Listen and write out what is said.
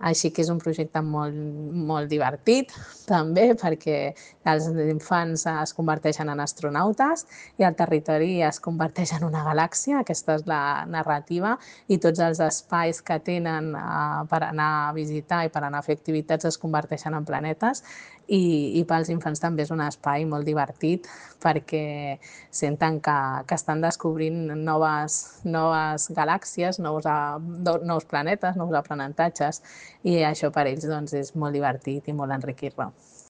Així que és un projecte molt divertit, també, perquè els infants es converteixen en astronautes i el territori es converteix en una galàxia, aquesta és la narrativa, i tots els espais que tenen per anar a visitar i per anar a fer activitats es converteixen en planetes, i pels infants també és un espai molt divertit perquè senten que estan descobrint noves galàxies, nous planetes, nous aprenentatges, i això per ells doncs, és molt divertit i molt enriquidor.